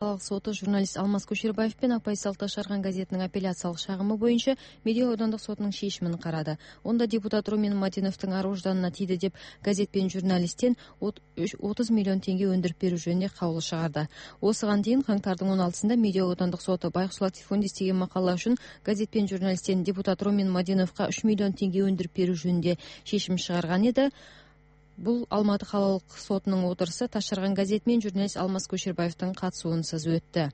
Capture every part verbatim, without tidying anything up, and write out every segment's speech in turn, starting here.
Соты журналист Алмаз Көшербаев пен Акбайсал Ташарган газетинин апелляциялык шагымы боюнча Медео аудандык сотунун чечимин карады. Онда депутат Румен Мадиновдун ар ожданына тийди деп газет пен журналисттен отуз миллион теңге өндүрүп берүү жөнүндө кабыл чыгарды. Осыган дейин каңтардын он алтысында Медео аудандык соту Байкус Латифундис деген макала үчүн газет пен журналисттен депутат Румен Мадиновго үч миллион теңге өндүрүп берүү жөнүндө чечим чыгарган эди. Бул Алматы калалык сотунун отурусу Ташарган газети менен журналист Алмаз Көшербаевдин катышуусунсуз өттү.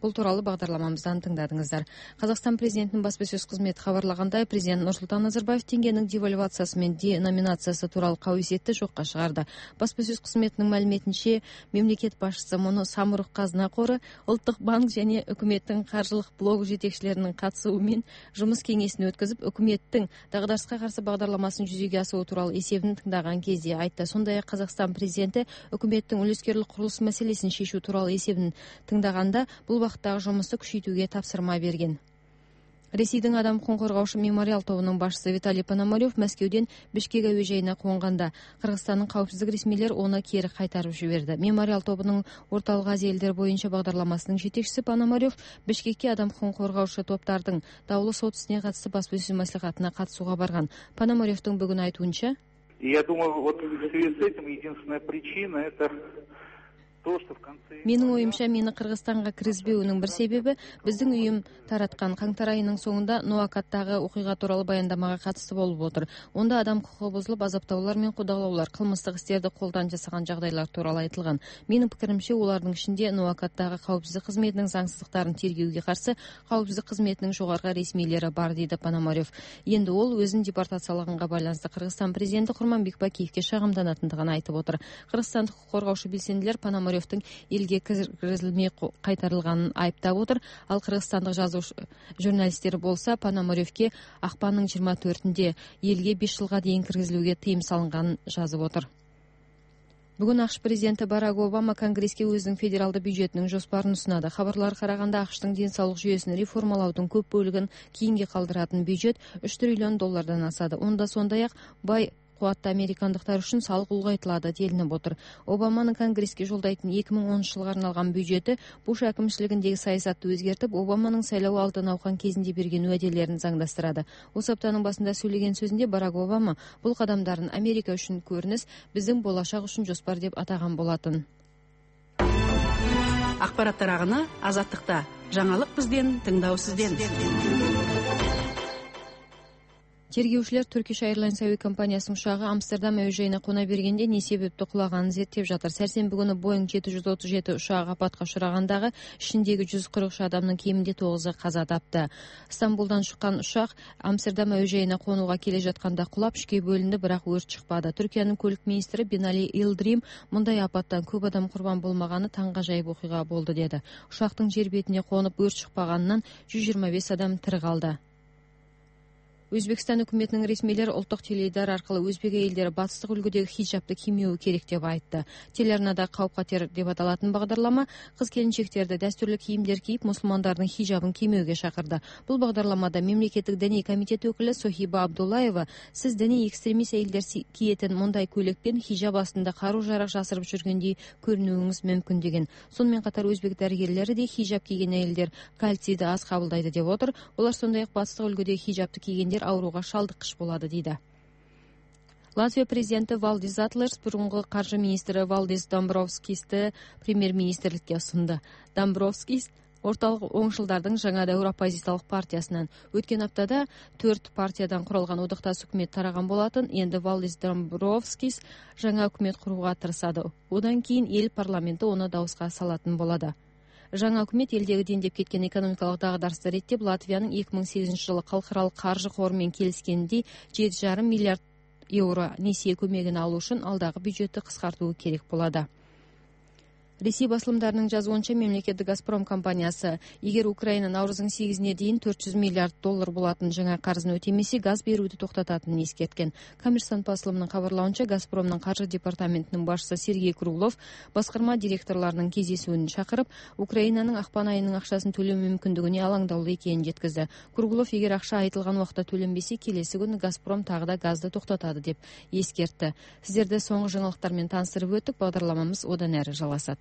Бул тууралуу багдарламамыздан тыңдадыңыздар. Казакстан президентинин басма сөз кызмети кабарлагандай, президент Нурсултан Назарбаев теңгенин девальвациясы менен деноминациясы тууралуу кабыл жокко чыгарды. Басма сөз кызметинин маалиметинче, мамлекет башчысы муну Самұрық Казына Кору, Улуттук банк жана өкмөттүн каржылык блогу жетекчилеринин катышуусу менен жумуш кеңесин өткөзүп, өкмөттүн дагдарышка каршы багдарламасын жүзөгө асыруу тууралуу эсебин тыңдаган кезде айтты. Сондай-ак Казакстан президенти өкмөттүн үлескерлик курулуш маселесин чечүү тууралуу эсебин тыңдаганда бул вакыттагы жумушту күчөйтүүгө тапсырма берген. Ресейдин адам укугун коргоочу мемориал тобунун башчысы Виталий Пономарев Мәскеуден Бишкек әуе жайына конганда Кыргызстандын каапсыздык ресмилери аны кери кайтарып жиберди. Мемориал тобунун Ортолук Азия элдери боюнча багдарламасынын жетекчиси Пономарев Бишкекке адам укугун коргоочу топтардын дабыл сот исине катысты басма сөз маслихатына катышууга барган. Пономаревдин бүгүн айтуунча, я думаю, вот в связи с этим единственная причина это Менин оюмча, мени Кыргызстанга киргизбөөнүн бир себеби биздин уюм тараткан каңтар айынын соңунда Нуакаттагы окуйга тууралуу баяндамага катысты болуп отур. Онда адам укугу бузулуп, азаптоолор менен кудалоолор, кылмыштык истерди колдон жасаган жагдайлар тууралуу айтылган. Менин пикиримче, улардын ичинде Нуакаттагы каапсыздык кызметинин заңсыздыктарын тергөөгө каршы каапсыздык кызметинин жогорку ресмийлери бар, дейди Пономарев. Энди ол өзүн депортациялаганга байланыштуу Кыргызстан президенти Курманбек Бакиевке шагымданатындыгын айтып отур. Кыргызстандык укук коргоочу белсендилер Пономарев элге киргизилмей кайтарылганын айыптап отур. Ал кыргызстандык жазууч журналисттер болсо Пономаревке акпандын жыйырма төртүндө элге беш жылга дейин киргизилүүгө тыйым салынганын жазып отур. Бүгүн АКШ президенти Барак Обама Конгресске өзүнүн федералдык бюджетинин жоспарын сунады. Кабарларга караганда АКШтын ден соолук жүйөсүн реформалоодун көп бөлүгүн кийинге калдыратын бюджет үч триллион доллардан асады. Онда сондай-ак бай кубатты американдыктар үчүн салык улгайтылады делинип отур. Обаманын Конгресске жолдойтун эки миң онунчу жылга арналган бюджети Буш акимчилигиндеги саясатты өзгертип, Обаманын шайлоо алды науқан кезинде берген уәделерин заңдастырады. Осы аптанын башында сүйлөгөн сөзүндө Барак Обама бул кадамдарын Америка үчүн көрүнүш, биздин болашак үчүн жоспар деп атаган болатын. Акбарат тараганы Азаттыкта. Жаңалык бизден, тыңдоо сизден. Тергөөчүлөр Turkish Airlines әуе компаниясынын учагы Амстердам әуе жайына кона бергенде не себептүү кулаганын зерттеп жатыр. Сәрсенбі күнү Boeing жети жүз отуз жети учагы апатка учурагандагы ичиндеги жүз кырк үч адамдын кеминде тогузу каза тапты. Стамбулдан чыккан учак Амстердам әуе жайына конууга келе жатканда кулап үшкө бөлүндү, бирок өрт чыкпады. Түркиянын көлүк министри Binali Yildirim мындай апаттан көп адам курбан болмаганы таң кажайып окуйга болду деди. Учактын жер бетине конуп өрт чыкпаганынан жүз жыйырма беш адам тирі калды. Өзбекстан өкмөтүнүн ресмийлери улуттук теледидар аркылуу өзбек элдери батыстык үлгүдөгү хиджабты киймөө керек деп айтты. Телеарнада кауп катер деп аталатын багдарлама кыз келинчектерди дастурлуу кийимдер кийип, мусулмандардын хиджабын киймөөгө чакырды. Бул багдарламада мамлекеттик диний комитет өкүлү Сохиба Абдуллаева сиз диний экстремист элдер киетин мындай көйлекпен хиджаб астында кару жарак жасырып жүргөндөй көрүнүүңүз мүмкүн деген. Сонун катар өзбек дарыгерлери де хиджаб кийген элдер кальцийди аз кабылдайды деп отур. Олар сондай-ак батыстык үлгүдөгү хиджабты кийгендер ооруга шалдыккыч болот дейди. Латвия президенти Валдис Затлерс бурунку каржы министри Валдис Домбровскисти премьер-министрликке сунду. Домбровскис ортолук оңшулдардын жаңа дәүр оппозициялык партиясынан өткөн аптада төрт партиядан куралган одакташ өкмөт тараган болатын. Энди Валдис Домбровскис жаңа өкмөт курууга тырышады. Одан кийин эл парламенти оны дабыска салатын болот. Жаңа өкмөт элдеги дендеп кеткен экономикалык дагдарышты реттеп, Латвиянын эки миң сегизинчи жылы калкаралык каржы кору менен келишкендей жети жарым миллиард евро несие көмөгүн алуу үчүн алдагы бюджетти кыскартуу керек болот. Ресей басылымдарынын жазуунча, мемлекеттик Газпром компаниясы эгер Украина наурыздын сегизине дейин төрт жүз миллиард доллар болатын жаңа карызын өтемесе, газ берүүнү токтотатынын эскерткен. Коммерсант басылымынын кабарлауынча, Газпромдун каржы департаментинин башчысы Сергей Круглов баскарма директорлорунун кездесүүнү чакырып, Украинанын акпан айынын акчасын төлөө мүмкүндүгүнө алаңдаулуу экенин жеткизди. Круглов эгер акча айтылган убакта төленбесе, келеси күнү Газпром тагыда газды токтотот деп эскертти. Сиздерди соңку жаңылыктар менен тааныстырып өттүк. Багдарламамыз одан ары жалгасат.